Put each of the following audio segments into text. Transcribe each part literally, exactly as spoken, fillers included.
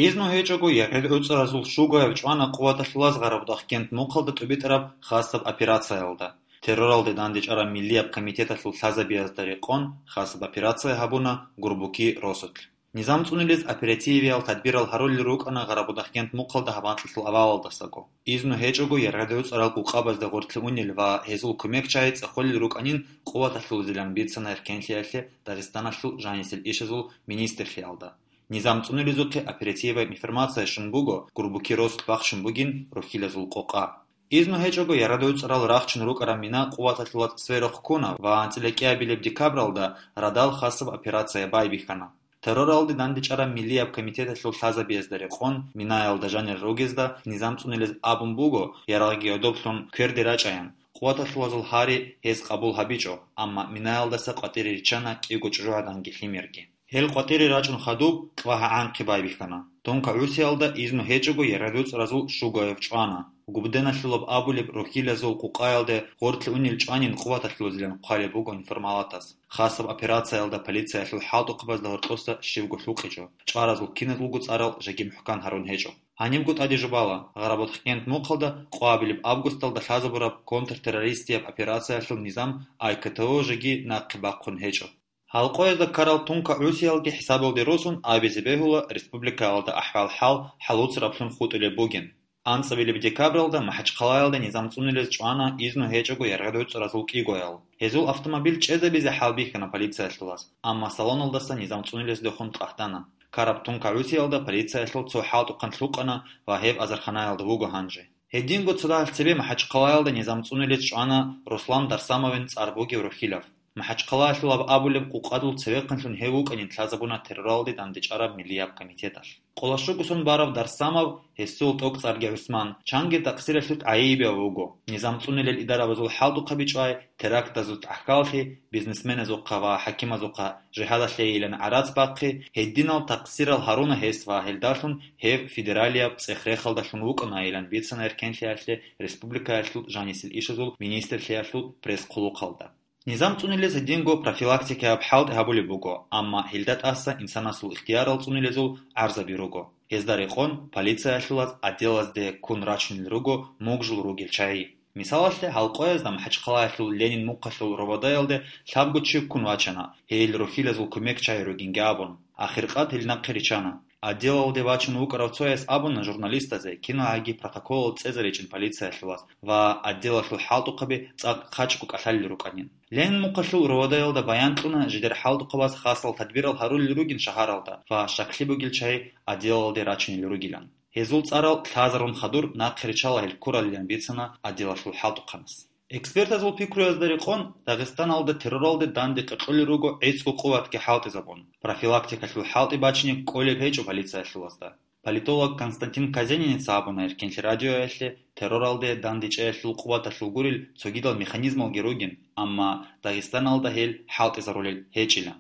Изну гьечӀого ЯгӀил гӀуцӀаразул щугояб чӀвана къуваталъулаз Гъарабудахъкент мухъалда тӀубитӀараб хасаб операциялда. Терроралде дандечӀараб миллияб комитеталъул лъазабиязда рекъон хасаб операция гьабуна Гурбуки росулъ. Низам цӀунилез оперативиял тадбирал гьарулел рукӀана Гъарабудахъкент мухъалда гьаб анкьалъул авалалдасаго. Изну гьечӀого ЯгӀил гӀуцӀарал къукъабазда гъоркье унел ва гьезул кумекчагӀи цӀехолел рукӀанин къуваталъулазилан бицана эркенлъиялъе Дагъистаналъул жанисел ишазул министрлъиялда. Низам цӀунилезухъе оперативияб информация щун буго, Гурбуки росулъ бахчун бугин рохьилазул къокъа. Изну гьечӀого ЯгӀил гӀуцӀарал рахчун рукӀараб мина къуваталъулаз сверухъ ккуна ва анцӀила кӀиабилеб декабралда радал хасаб операция байбихьана. Терроралде дандечӀараб миллияб комитеталъул лъазабиязда рекъон, минаялда жанир ругезда низам цӀунилез абун буго, ярагъги гӀодоблъун кверде рачӀаян. Къуваталъулазул гьари гьез къабул гьабичӀо, амма минаялдаса къватӀире риччана кӀиго чӀужугӀаданги лъимерги. Гьел къватӀире рачӀун хадуб, кьвагьа гӀанхъи байбихьана. Тунка гӀусиялда изну гьечӀого ЯгӀил гӀуцӀаразул щугояб чӀвана. Губденалъулаб абулеб рохьилазул къукъаялде гъоркье унел чӀванин къуваталъулазилан хъвалеб буго информалатас. Хасаб операциялда полициялъул хӀалтӀухъабазда гьоркьоса щивго лъукъичӀо, чӀваразул киназулго цӀарал жеги мухӀкан гьарун гьечӀо. Гьанибго тӀаде жубала, Гъарабудахъкент мухъалда къоабилеб августалда лъазабураб контртеррористияб операциялъул низам АКТО жеги нахъе бахъун гьечӀо. Гьалкъоязда ккарал тунка гӀусиялги хӀисабалде росун абизе бегьула республикаялда ахӀвал-хӀал хӀалуцараблъун хутӀулеб бугин. АнцӀабилеб декабралда МахӀачхъалаялда низам цӀунилез чӀвана изну гьечӀого ЯгӀил гӀуцӀаразул кӀигоял. Гьезул автомобиль чӀезабизе хӀалбихьана полициялъулаз, амма салоналдаса низам цӀунилез дохун тӀахьдана. Ккараб тунка гӀусиялда полициялъул цо хӀалтӀухъан лъукъана ва гьеб азарханаялда вуго гьанже. Гьединго цо дагьал цебе МахӀачхъалаялда низам цӀунилез чӀвана Руслан Дарсамовин цӀар бугев рохьилав. МахӀачхъалаялъулаб абулеб къукъадул цевехъанлъун гьев вукӀанин лъазабуна терроралде дандечӀараб миллияб комитеталъ. Къоло щуго сон барав Дарсамов, гьесул тӀокӀцӀарги ГӀусман, чанги такъсиралъухъ гӀайибияв вуго. Низам цӀунилел идарабазул хӀалтӀухъаби чӀвай, терактазул тӀахьаллъи, бизнесменазухъа ва хӀакимазухъа жигьадалъейилан гӀарац бахъи, гьединал такъсирал гьаруна гьес ва гьелдалъун гьев федералияб цӀех-рехалдалъун вукӀунайилан бицана эркенлъиялъе республикаялъул жанисел ишазул министрлъиялъул пресс-хъулухъалда. Низам цӀунилез гьединго профилактикаяб хӀалтӀи гьабулеб буго, амма гьелда тӀаса инсанасул ихтиярал цӀунилезул гӀарзаби руго. Гьезда рекъон полициялъулаз отделазде ккун рачунел руго мугжул ругел чагӀи. Мисалалъе, гьалкъоязда МахӀачхъалаялъул Ленин мухъалъул РОВД-ялде лъабго чи ккун вачана, гьел рохьилазул кумекчагӀи ругинги абун. Ахиркъад гьел нахъе риччана. Отделалде вачун вукӀарав цояс абуна журналистазе киналгӀаги протоколал цӀезаричӀин полициялъулаз ва отделалъул хӀалтӀухъаби цӀакъ хъачӀго кӀалъалел рукӀанин. Ленин мухъалъул РОВД-ялда баян кьуна жидер хӀалтӀухъабаз хасал тадбирал гьарулел ругин шагьаралда ва щаклъи бугел чагӀи отделалде рачунел ругилан. Гьезул цӀарал лъазарун хадур нахъе риччала гьел ккуралилан бицана отделалъул хӀалтӀухъанас. Экспертазул пикруязда рекъон, Дагъистаналда терроралде данде къекъолел руго гӀицӀго къуватги хӀалтӀизабун. Профилактикалъул хӀалтӀи бачине кӀолеб гьечӀо полициялъулазда. Политолог Константин Казениница абуна Эркенлъи радиоялъе, терроралде дандечӀеялъул къуваталъул гурел цогидал механизмалги ругин, амма Дагъистаналда гьел хӀалтӀизарулел гьечӀилан.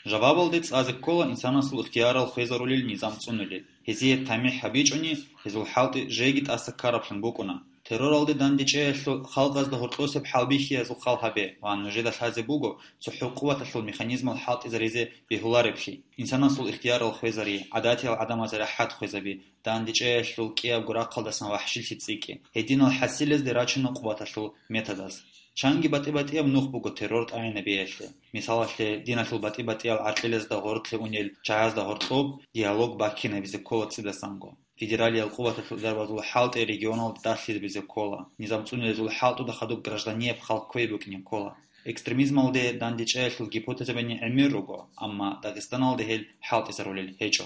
Жавабалде цӀазе ккола инсанасул ихтиярал хвезарулел низам цӀунулел. Гьезие тамихӀ гьабичӀони, гьезул хӀалтӀи жеги тӀаса ккараблъун букӀуна. Терроралде дандечӀеялъул халкъазда гьоркьосеб хӀалбихьиязул хал гьабе ва нужеда лъазе буго цохӀо къуваталъул механизмал хӀалтӀизаризе бегьулареблъи. Инсанасул ихтиярал хвезари, гӀадатиял гӀадамазе рахӀат хвезаби, дандечӀеялъул кӀиябго рахъалдасан вахӀшилъи цӀикӀкӀи. Гьединал хӀасилезде рачуна къуваталъул методаз. Чанги батӀи-батӀияб нух буго террор тӀагӀинабиялъе. Мисалалъе, диналъул батӀи-батӀиял гӀаркьилазда гъоркье унел чагӀазда гьоркьоб диалог баккинабизе ккола цӀидасанго. Федералиял къуваталъул дарбазул хӀалтӀи регионалда далъизабизе ккола. Низам цӀунилезул хӀалтӀуда хадуб гражданияб хал кквей букӀине ккола. Экстремизмалде дандечӀеялъул гипотезабани гӀемер руго, амма Дагъистаналда гьел хӀалтӀизарулел гьечӀо.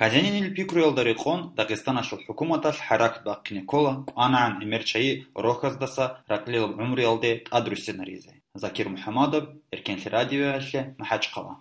Казенинил пикруялда рекъон, Дагъистаналъул хӀукуматалъ хӀаракат бахъине ккола кӀванагӀан гӀемер чагӀи рохьаздаса ракьлилаб гӀумруялде тӀадруссинаризе. Закир МухӀамадов, Эркенлъи радиоялъе, МахӀачхъала.